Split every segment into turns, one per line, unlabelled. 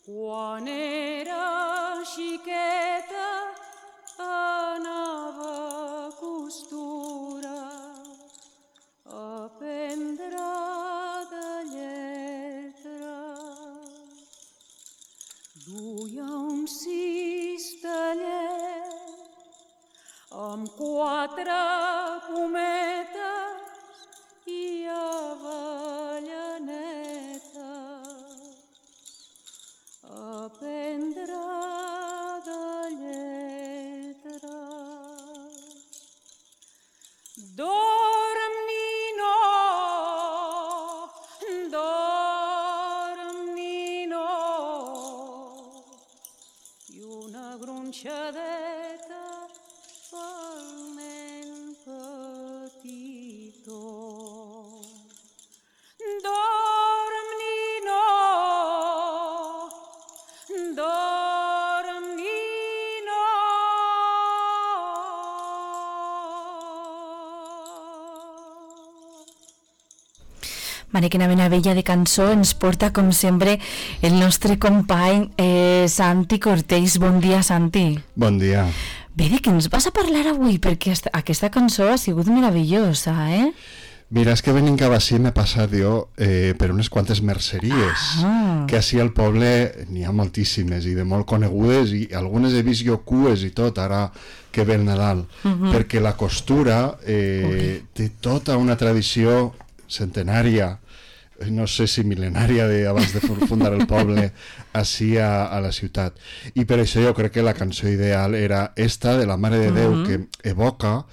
Quan era xiqueta anava a costura a aprendre de lletra. Duia un cistellet amb 4 pometes i avellaneta. Aprendre de lletra. Dorm, nino, dorm, nino, i una gronxadeta pel nen petitó. Dorm, nino, dorm, nino.
Mare, quina meravella de cançó ens porta, com sempre, el nostre company Santi Cortells. Bon dia, Santi.
Bon dia.
Bé, de què ens vas a parlar avui? Perquè aquesta cançó ha sigut meravellosa, eh?
Mira, és que venint cap així m'he passat jo per unes quantes merceries, que així al poble n'hi ha moltíssimes i de molt conegudes, i algunes he vist jo cues i tot, ara que ve el Nadal, perquè la costura té tota una tradició centenària, no sé si mil·lenària abans de fundar el poble així a la ciutat. I per això jo crec que la cançó ideal era esta de la Mare de Déu, que evoca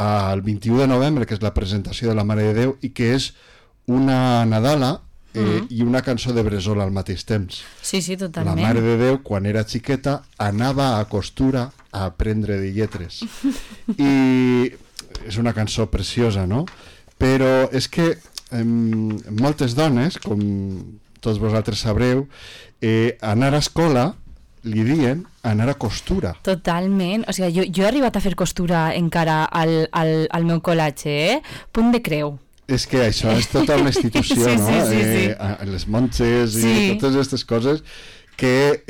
el 21 de novembre, que és la presentació de la Mare de Déu, i que és una Nadala i una cançó de Bressola al mateix temps.
Sí, sí, totalment.
La Mare de Déu, quan era xiqueta, anava a costura a aprendre de lletres. I és una cançó preciosa, no? Però és que moltes dones, com tots vosaltres sabreu, anar a escola li diuen anar a costura.
Totalment, o sigui, jo he arribat a fer costura encara al meu col·legi, punt de creu.
És que això és tota una institució,
sí,
no?
Sí.
Les monges i totes aquestes coses que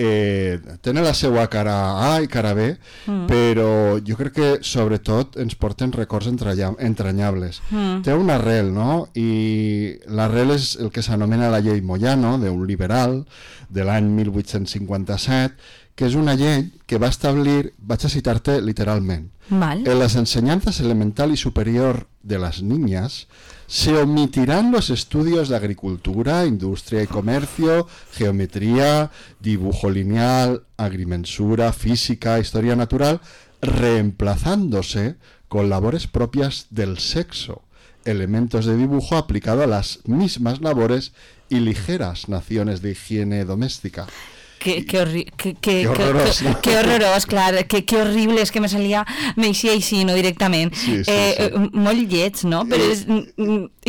tenen la seva cara A i cara B, però jo crec que sobretot ens porten records entranyables. Té una arrel, no? I l'arrel és el que s'anomena la llei Moyano, d'un liberal de l'any 1857, que és una llei que va establir, vaig a citar-te literalment, en las enseñanzas elemental y superior de las niñas se omitirán los estudios de agricultura, industria y comercio, geometría, dibujo lineal, agrimensura, física, historia natural, reemplazándose con labores propias del sexo, elementos de dibujo aplicado a las mismas labores y ligeras nociones de higiene doméstica.
Que horrorós, clar, que horrible, és que m'eixia així, no, directament. Sí. Molt lleig, no? Però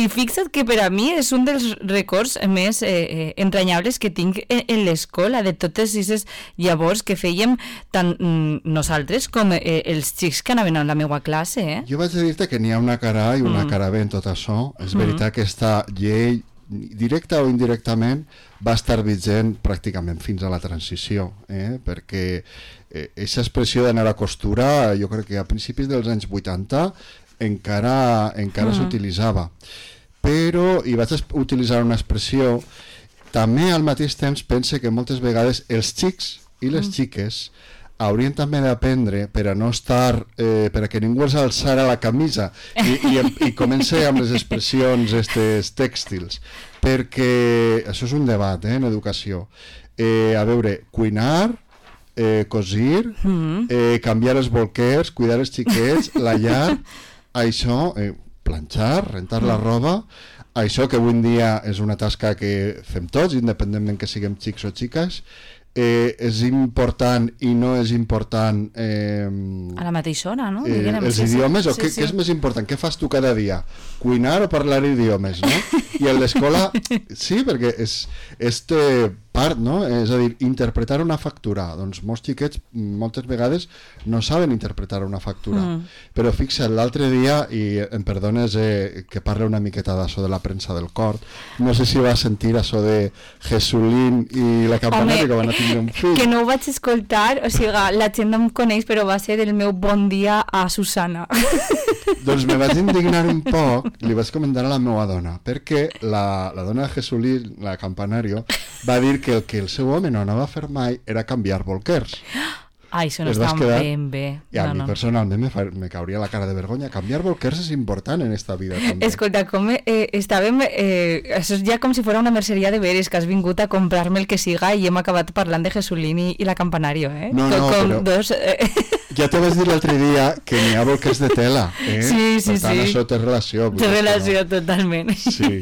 i fixa't que per a mi és un dels records més entranyables que tinc en l'escola, de totes aquestes llavors que fèiem tant nosaltres com els xics que anaven a la meva classe.
Jo vaig a dir-te que n'hi ha una cara A i una cara B en tot això. És veritat que aquesta llei, directa o indirectament, va estar vigent pràcticament fins a la transició, perquè aquesta expressió d'anar a costura, jo crec que a principis dels anys 80 encara s'utilitzava. Però, i vaig utilitzar una expressió, també al mateix temps pense que moltes vegades els xics i les xiques haurien també d'aprendre per a no estar, per a que ningú els alçara la camisa i comença amb les expressions tèxtils, perquè això és un debat en educació. A veure, cuinar, cosir, canviar els bolquers, cuidar els xiquets, la llar, això, planxar, rentar la roba, això que avui en dia és una tasca que fem tots, independentment que siguem xics o xiques, és important i no és important
a la mateixa hora, no?
Els idiomes, o què és més important? Què fas tu cada dia? Cuinar o parlar idiomes, no? I en l'escola, sí, perquè part, no? És a dir, interpretar una factura. Doncs molts xiquets moltes vegades no saben interpretar una factura. Però fixa't, l'altre dia, i em perdones que parle una miqueta d'això de la premsa del cor, no sé si va sentir això de Jesulín i la Campanario, que van a tindre un fill.
Que no ho vaig escoltar, o sigui, la gent no em coneix, però va ser el meu bon dia a Susana.
Doncs me vaig indignar un poc i li vaig comentar a la meva dona, perquè la dona de Jesulín, la Campanario, va dir que el seu home no anava a fer mai era canviar bolquers.
Ai, això no està ben bé.
I a mi personalment me cauria la cara de vergonya. Canviar bolquers és important en esta vida també.
Escolta, com estàvem... això és ja com si fos una merceria de veres, que has vingut a comprar-me el que siga i hem acabat parlant de Jesulín i la Campanario, eh?
No,
com
però...
dos...
Ja te vaig dir l'altre dia que n'hi ha bolquers de tela, eh?
Sí,
per tant, això té relació.
Té relació, totalment.
Sí.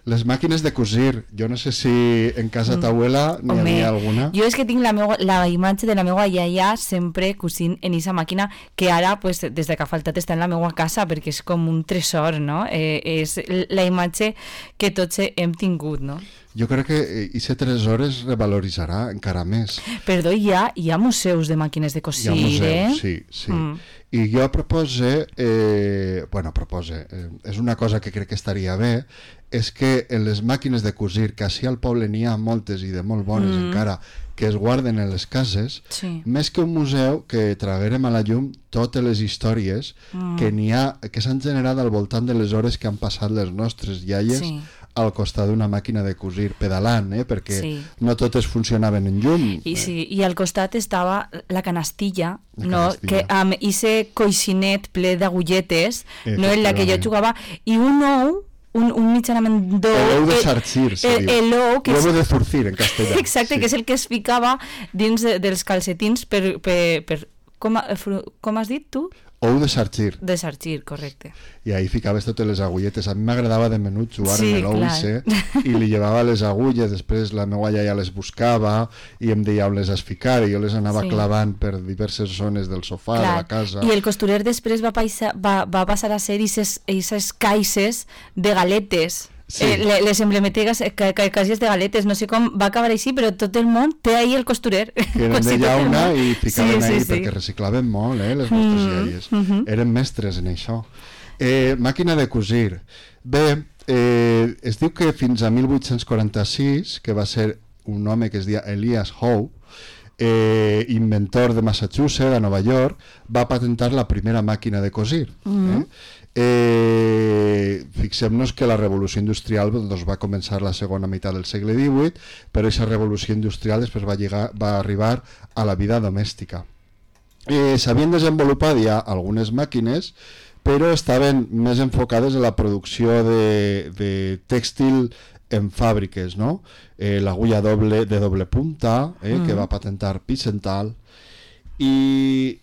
Les màquines de cosir, jo no sé si en casa t'abuela n'hi havia alguna.
Jo és que tinc la imatge de la meva iaia sempre cosint en aquesta màquina, que ara, pues, des de que ha faltat, està en la meva casa, perquè és com un tresor, no? És la imatge que tots hem tingut, no?
Jo crec que aquest tresor es revaloritzarà encara més.
Perdó, hi ha museus de màquines de cosir,
sí. I jo propose, és una cosa que crec que estaria bé, és que en les màquines de cosir, que així al poble n'hi ha moltes i de molt bones encara, que es guarden en les cases, més que un museu, que traguérem a la llum totes les històries que n'hi ha, que s'han generat al voltant de les hores que han passat les nostres iaies al costat d'una màquina de cosir pedalant, perquè no totes funcionaven en llum.
I al costat estava la canastilla, que amb ese coixinet ple d'agulletes, no, en la que jo jugava, i un ou, un mitjanament d'ou.
L'ou de sargir, se diu. L'ou de zurcir, en castellà.
Exacte, que és el que es ficava dins dels calcetins per com has dit tu?
Ou de sargir.
De sargir, correcte.
I ahí ficaves totes les agulletes. A mi m'agradava de menut jugar amb l'ou i li llevava les agulles, després la meva iaia les buscava i em deia on les has ficat i jo les anava clavant per diverses zones del sofà de la casa.
I el costurer després va passar a ser aquestes caixes de galetes. Les emblemetegues caixes de galetes, no sé com va acabar així, però tot el món té ahí el costurer.
Que eren de llauna i ficaven ahí perquè reciclaven molt, les nostres iaies. Eren mestres en això. Màquina de cosir. Bé, es diu que fins a 1846, que va ser un home que es deia Elias Howe, inventor de Massachusetts, a Nova York, va patentar la primera màquina de cosir. Fixem-nos que la revolució industrial va començar la segona meitat del segle XVIII, però aquesta revolució industrial després va arribar a la vida domèstica. S'havien desenvolupat ja algunes màquines, però estaven més enfocades a la producció de tèxtil en fàbriques, no? L'agulla de doble punta, que va patentar Pisenthal, i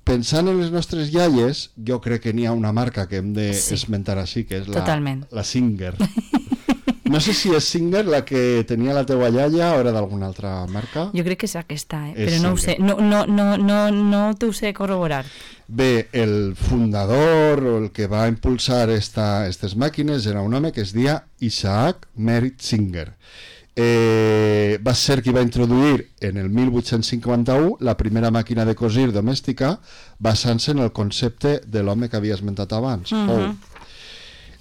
pensant en les nostres iaies, jo crec que n'hi ha una marca que hem d'esmentar així, que és la Singer. No sé si és Singer la que tenia la teua iaia o era d'alguna altra marca.
Jo crec que és aquesta, però no ho sé. No t'ho sé corroborar.
Bé, el fundador o el que va impulsar aquestes màquines era un home que es deia Isaac Merritt Singer. Va ser qui va introduir en el 1851 la primera màquina de cosir domèstica basant-se en el concepte de l'home que havia esmentat abans, Howe.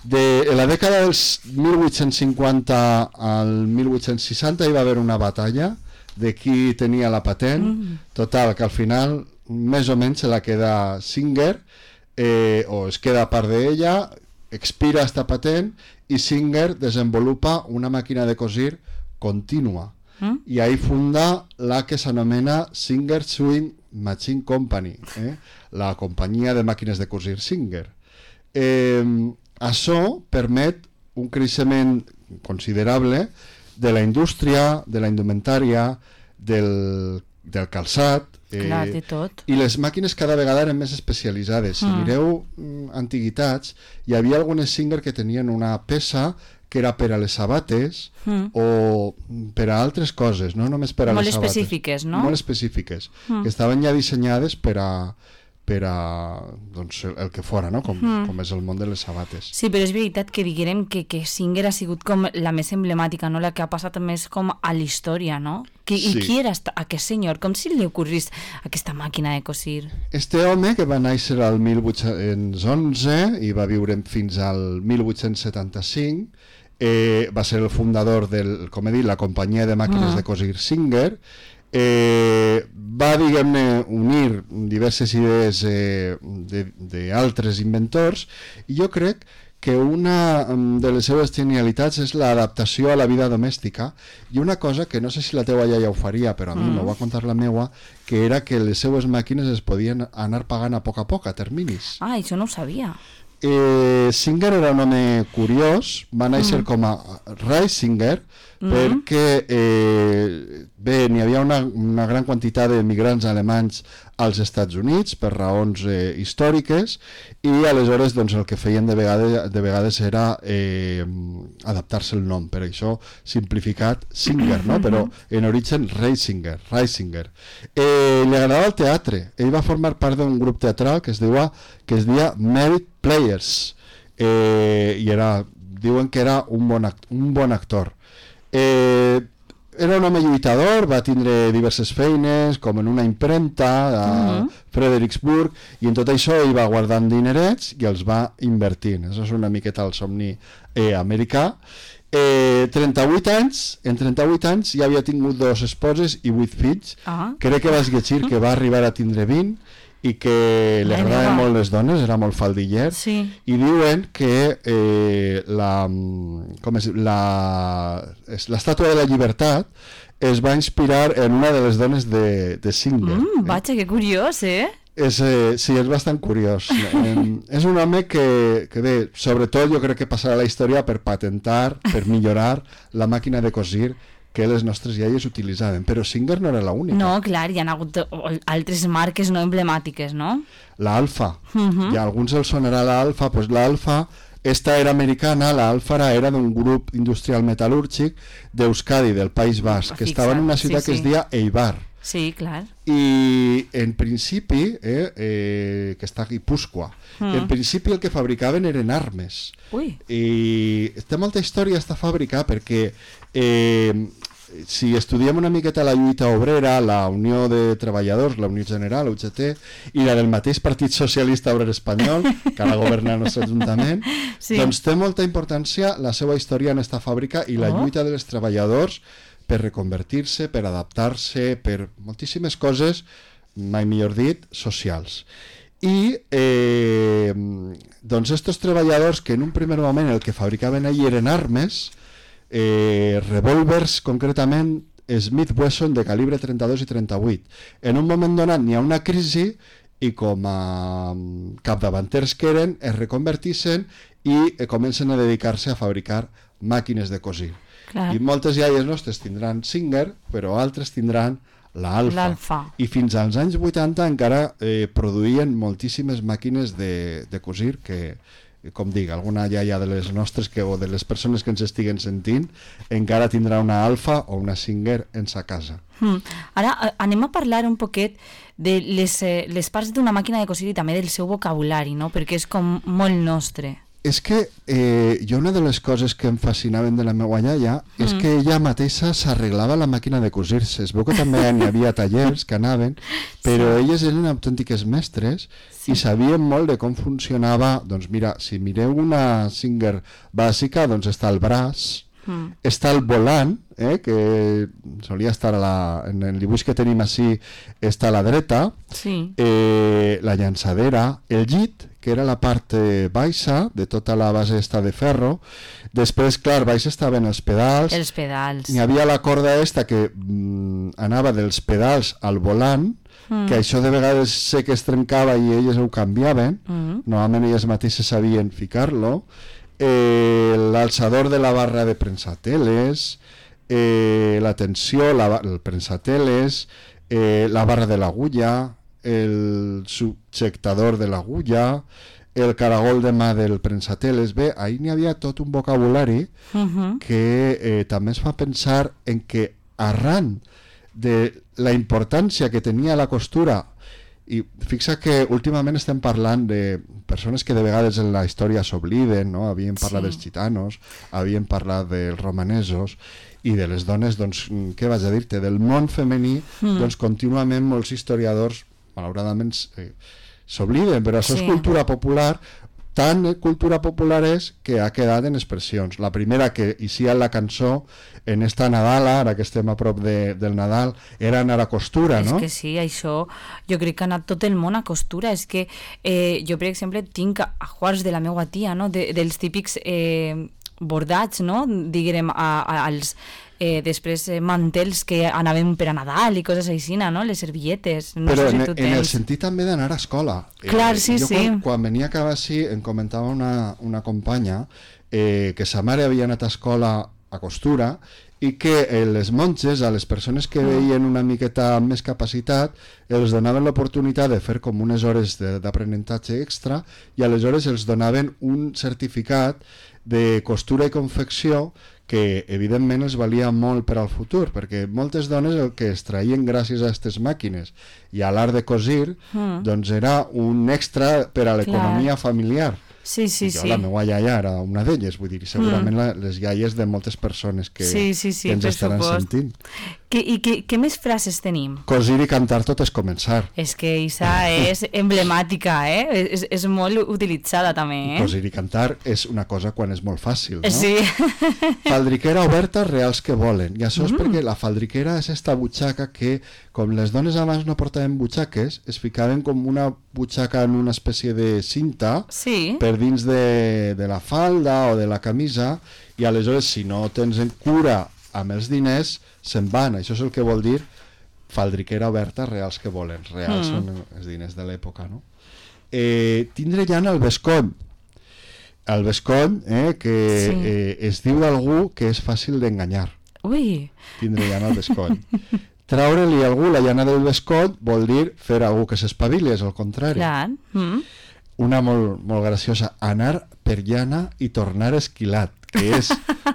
En la dècada dels 1850 al 1860 hi va haver una batalla de qui tenia la patent, total, que al final més o menys se la queda Singer, o es queda part d'ella, expira esta patent i Singer desenvolupa una màquina de cosir contínua i ahí funda la que s'anomena Singer Sewing Machine Company, la companyia de màquines de cosir Singer. Això permet un creixement considerable de la indústria, de la indumentària, del calçat,
de tot.
I les màquines cada vegada eren més especialitzades. Si mireu antiguitats, hi havia algunes Singer que tenien una peça que era per a les sabates o per a altres coses, no només per a les sabates.
Molt específiques, no?
Molt específiques, que estaven ja dissenyades per per a doncs, el que fora, no? Com és el món de les sabates.
Sí, però és veritat que diguem que Singer ha sigut com la més emblemàtica, no? La que ha passat més com a la història, no? I qui era aquest senyor? Com si li ocorrís aquesta màquina de cosir?
Este home, que va néixer al 1811 i va viure fins al 1875, va ser el fundador com he dit, la companyia de màquines de cosir Singer. Va, diguem-ne, unir diverses idees d'altres inventors, i jo crec que una de les seves genialitats és l'adaptació a la vida domèstica, i una cosa que no sé si la teua iaia ho faria, però a mi m'ho va contar la meua, que era que les seues màquines es podien anar pagant a poc, a terminis.
Ah, això no ho sabia.
Singer era un home curiós, va néixer com a Reisinger, perquè bé, n'hi havia una gran quantitat d'emigrants alemanys als Estats Units per raons històriques, i aleshores doncs, el que feien de vegades era adaptar-se el nom, per això simplificat Singer, no? Però en origen Reisinger. Li agradava el teatre, ell va formar part d'un grup teatral que es deia Merit Players, i diuen que era un bon actor. Era un home lluitador, va tindre diverses feines, com en una impremta a Fredericksburg, i en tot això ell va guardant dinerets i els va invertint. Això és una miqueta el somni americà. 38 anys, en 38 anys ja havia tingut 2 esposes i 8 fills. Crec que vas llegir que va arribar a tindre 20, i que li agradaven molt les dones, era molt faldiller, i diuen que l'estàtua de la llibertat es va inspirar en una de les dones de Singer.
Vaja, que curiós,
Sí, és bastant curiós. És un home que bé, sobretot jo crec que passarà a la història per patentar, per millorar la màquina de cosir que les nostres iaies utilitzaven, però Singer no era l'única.
No, clar, hi ha hagut altres marques no emblemàtiques, no?
L'Alfa, i a alguns els sonarà l'Alfa, doncs l'Alfa, esta era americana, l'Alfa era d'un grup industrial metal·lúrgic d'Euskadi, del País Basc, que estava en una ciutat que es deia Eibar.
Sí, clar.
I en principi, que està a Guipúscoa, en principi el que fabricaven eren armes. I té molta història esta fàbrica perquè si estudiem una miqueta la lluita obrera, la Unió de Treballadors, la Unió General, UGT, i la del mateix Partit Socialista Obrer Espanyol, que ara governa el nostre Ajuntament, doncs té molta importància la seva història en esta fàbrica i la lluita dels treballadors per reconvertir-se, per adaptar-se, per moltíssimes coses, mai millor dit, socials. I doncs estos treballadors que en un primer moment el que fabricaven allí eren armes, revòlvers concretament Smith Wesson de calibre 32 i 38. En un moment donat n'hi ha una crisi i com a capdavanters que eren es reconvertixen i comencen a dedicar-se a fabricar màquines de cosir. I moltes iaies nostres tindran Singer, però altres tindran l'Alfa. I fins als anys 80 encara produïen moltíssimes màquines de cosir que, com dic, alguna iaia de les nostres o de les persones que ens estiguen sentint encara tindrà una Alfa o una Singer en sa casa.
Ara anem a parlar un poquet de les parts d'una màquina de cosir i també del seu vocabulari, no? Perquè és com molt nostre.
És que jo una de les coses que em fascinaven de la meva iaia és que ella mateixa s'arreglava la màquina de cosir-se. Es veu que també hi havia tallers que anaven, però elles eren autèntiques mestres i sabien molt de com funcionava. Doncs mira, si mireu una Singer bàsica, doncs està el braç, està el volant, que solia estar en el dibuix que tenim així, està a la dreta, la llançadera, el llit, que era la part baixa de tota la base esta de ferro. Després, clar, baix estaven els pedals.
Els pedals.
Hi havia la corda esta que anava dels pedals al volant, que això de vegades sé que es trencava i elles ho canviaven. Normalment elles mateixes sabien ficar-lo. L'alçador de la barra de prensateles, la tensió, el prensateles, la barra de l'agulla, el subjectador de l'agulla, el caragol de mà del prensateles. Bé, ahir n'hi havia tot un vocabulari que també es fa pensar en que arran de la importància que tenia la costura I fixa que últimament estem parlant de persones que de vegades en la història s'obliden, no? Havíem parlat dels gitanos, havíem parlat dels romanesos, i de les dones, doncs, què vaig a dir-te? Del món femení, doncs contínuament molts historiadors, malauradament, s'obliden, però això és cultura popular. Tant cultura popular és que ha quedat en expressions. La primera que inicia la cançó en esta Nadala, ara que estem a prop del Nadal, era anar a costura, no?
És que sí, això jo crec que ha anat tot el món a costura. És que jo, per exemple, tinc ajuars de la meva tia, no? Dels típics bordats, no? Diguem, als després mantels que anaven per a Nadal i coses així, no? Les servilletes. No
però
sé si tu
en el
tens.
sentit també d'anar a escola.
Clar, sí,
jo
sí.
Quan venia cap així em comentava una companya que sa mare havia anat a escola a costura i que les monges, a les persones que veien una miqueta amb més capacitat, els donaven l'oportunitat de fer com unes hores d'aprenentatge extra i aleshores els donaven un certificat de costura i confecció que evidentment els valia molt per al futur, perquè moltes dones el que es traien gràcies a aquestes màquines i a l'art de cosir doncs era un extra per a l'economia familiar.
Sí, sí,
jo,
sí.
la meva iaia era una d'elles, vull dir, segurament les iaies de moltes persones que, que ens estaran sentint.
I què més frases tenim?
Cosir i cantar tot és començar.
És que Isa és emblemàtica, és molt utilitzada també,
Cosir i cantar és una cosa quan és molt fàcil, no?
Sí.
Faldriquera oberta, reals que volen. I això és perquè la faldriquera és esta butxaca que, com les dones abans no portaven butxaques, es ficaven com una butxaca en una espècie de cinta per dins de la falda o de la camisa, i aleshores si no tens en cura amb els diners se'n van. Això és el que vol dir faldriquera oberta, reals que volen. Reals són els diners de l'època, no? Tindre llana al bescoll. El bescoll, que es diu d'algú que és fàcil d'enganyar.
Ui!
Tindre llana al bescoll. Treure-li a algú la llana del bescoll vol dir fer a algú que s'espavili, és el contrari.
Clar.
Una molt, molt graciosa, anar per llana i tornar esquilat, que és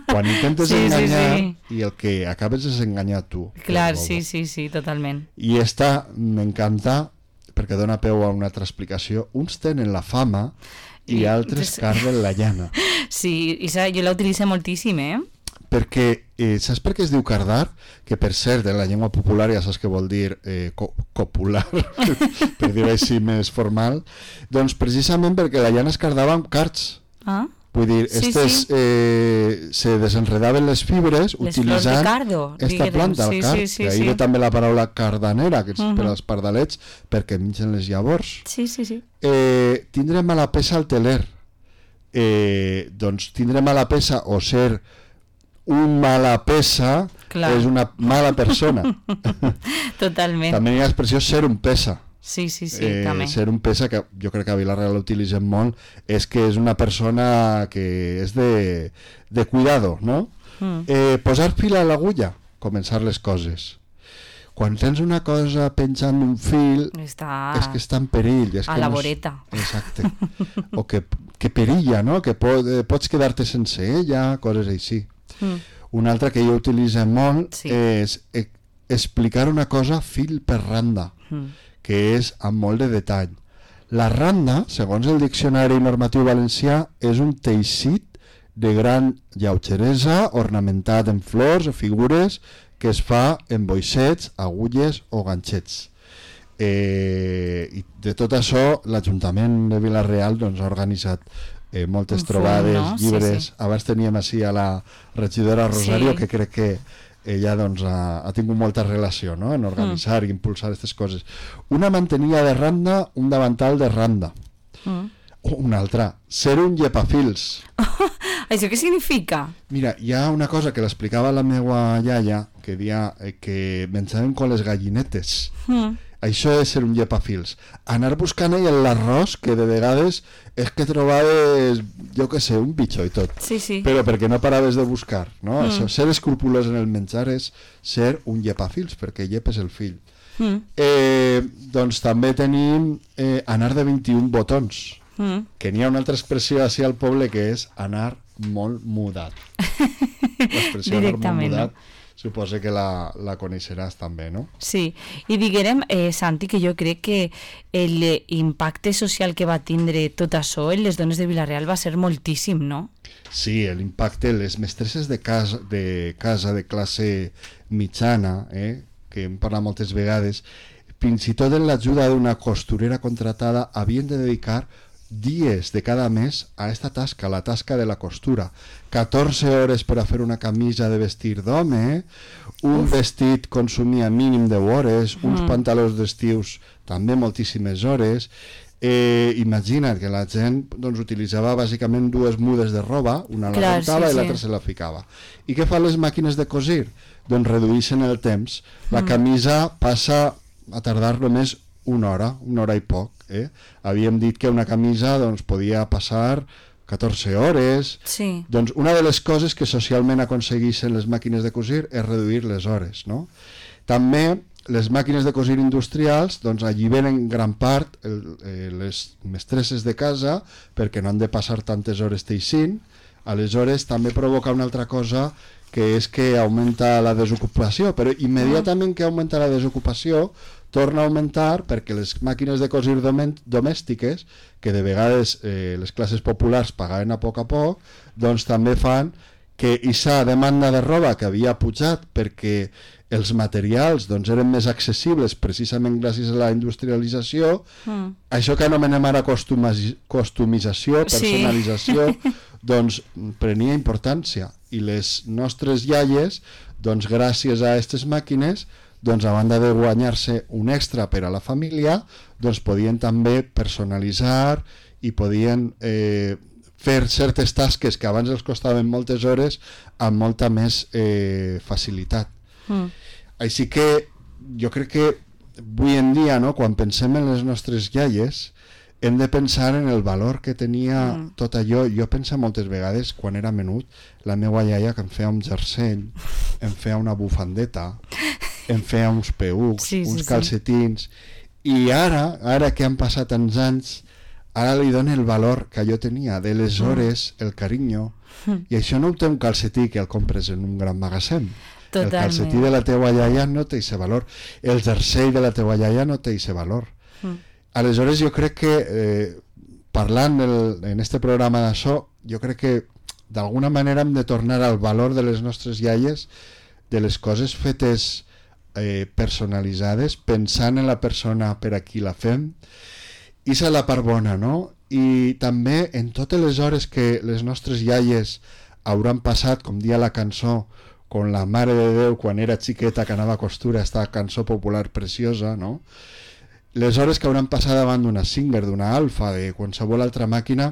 quan intentes enganyar i el que acabes és enganyar tu.
Clar, sí, totalment.
I esta m'encanta perquè dona peu a una altra explicació. Uns tenen la fama i altres carden la llana.
Sí, jo la utilitzo moltíssim,
Perquè, saps per què es diu cardar? Que per cert, en la llengua popular ja saps què vol dir copular, per dir-ho així més formal, doncs precisament perquè la llana es cardava amb cards. Vull dir, se desenredaven les fibres utilitzant aquesta planta, el card. I ahir ve també la paraula cardanera, que és per als pardalets, perquè mengen les llavors. Tindre mala peça al teler. Doncs tindre mala peça o ser un mala peça és una mala persona.
Totalment.
També hi ha l'expressió ser un pesa.
Sí, també.
Ser un pesa, que jo crec que a Vila-real l'utilitzem molt, és que és una persona que és de cuidado, no? Posar fil a l'agulla, començar les coses. Quan tens una cosa penjant d'un fil, és que està en perill.
A la voreta.
Exacte. O que perilla, no? Que pots quedar-te sense ella, coses així. Una altra que jo utilitzo molt és explicar una cosa fil per randa, que és amb molt de detall. La randa, segons el Diccionari Normatiu Valencià, és un teixit de gran lleugeresa ornamentat en flors o figures que es fa en boixets, agulles o ganxets. I de tot això, l'Ajuntament de Vila-real ha organitzat moltes trobades, llibres. Abans teníem així a la regidora Rosario, que crec que ella ha tingut molta relació en organitzar i impulsar aquestes coses. Una mantenia de randa, un davantal de randa. Una altra, ser un llepafils.
Això què significa?
Mira, hi ha una cosa que l'explicava la meva iaia, que deia que menjaven con les gallinetes. Això és ser un llepafils. Anar buscant ell l'arròs, que de vegades és que trobaves, jo què sé, un bitxo i tot. Però perquè no paraves de buscar, no? Això, ser escrupulós en el menjar és ser un llepafils, perquè llepes el fill. Doncs també tenim anar de 21 botons, que n'hi ha una altra expressió així al poble que és anar molt mudat. L'expressió anar molt mudat suposo que la coneixeràs també, no?
Sí, i diguérem, Santi, que jo crec que l'impacte social que va tindre tot això en les dones de Vila-real va ser moltíssim, no?
Sí, l'impacte, les mestresses de casa de classe mitjana, que hem parlat moltes vegades, fins i tot en l'ajuda d'una costurera contratada havien de dedicar dies de cada mes a esta tasca, la tasca de la costura. 14 hores per a fer una camisa de vestir d'home, un vestit consumia mínim 10 hores, uns pantalons d'estius també moltíssimes hores. Imagina't que la gent doncs, utilitzava bàsicament dues mudes de roba, una la rentava i l'altra se la ficava. I què fan les màquines de cosir? Doncs redueixen el temps. La camisa passa a tardar només una hora i poc. Havíem dit que una camisa doncs, podia passar 14 hores.
Sí.
Doncs una de les coses que socialment aconsegueixen les màquines de cosir és reduir les hores, no? També les màquines de cosir industrials doncs, alliberen gran part les mestresses de casa perquè no han de passar tantes hores teixint. Aleshores també provoca una altra cosa, que és que augmenta la desocupació, però immediatament que augmenta la desocupació torna a augmentar perquè les màquines de cosir domèstiques, que de vegades les classes populars pagaven a poc, doncs també fan que aquesta demanda de roba que havia pujat perquè els materials doncs, eren més accessibles precisament gràcies a la industrialització, això que anomenem ara costumització, personalització, doncs prenia importància. I les nostres iaies, doncs gràcies a aquestes màquines, doncs a banda de guanyar-se un extra per a la família, doncs podien també personalitzar i podien fer certes tasques que abans els costaven moltes hores amb molta més facilitat. Així que jo crec que avui en dia, no, quan pensem en les nostres iaies, hem de pensar en el valor que tenia tot allò. Jo penso moltes vegades, quan era menut, la meva iaia que em feia un jersei, em feia una bufandeta, em feia uns peucs, uns calcetins, i ara que han passat tants anys, ara li dono el valor que jo tenia, de les hores, el carinyo, i això no ho té un calcetí que el compres en un gran magatzem. El calcetí de la teua iaia no té aquest valor, el jersei de la teua iaia no té aquest valor. Aleshores jo crec que parlant en este programa d'això, jo crec que d'alguna manera hem de tornar al valor de les nostres iaies, de les coses fetes personalitzades, pensant en la persona per a qui la fem, i és la part bona, no? I també en totes les hores que les nostres iaies hauran passat, com dia la cançó, con la Mare de Déu quan era xiqueta que anava a costura, esta cançó popular preciosa, no? Les hores que hauran passat davant d'una Singer, d'una Alfa, de qualsevol altra màquina,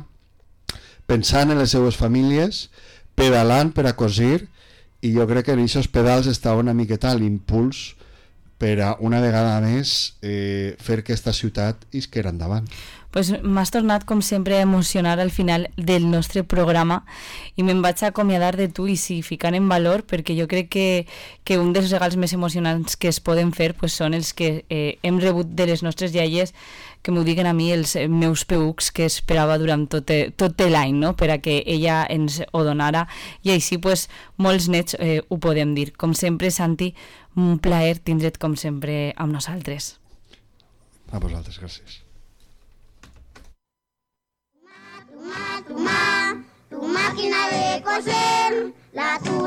pensant en les seues famílies, pedalant per a cosir, i jo crec que en aquests pedals estava una miqueta l'impuls per a una vegada més fer que aquesta ciutat isquera endavant.
Pues m'has tornat, com sempre, a emocionar al final del nostre programa i me'n vaig acomiadar de tu i sí, ficant en valor, perquè jo crec que un dels regals més emocionants que es poden fer pues, són els que hem rebut de les nostres iaies, que m'ho diguen a mi els meus peucs que esperava durant tot l'any, no? Per a que ella ens ho donara, i així pues, molts nets ho podem dir. Com sempre, Santi, un plaer tindre't com sempre amb nosaltres.
A vosaltres, gràcies.
Tu máquina de coser, la tula.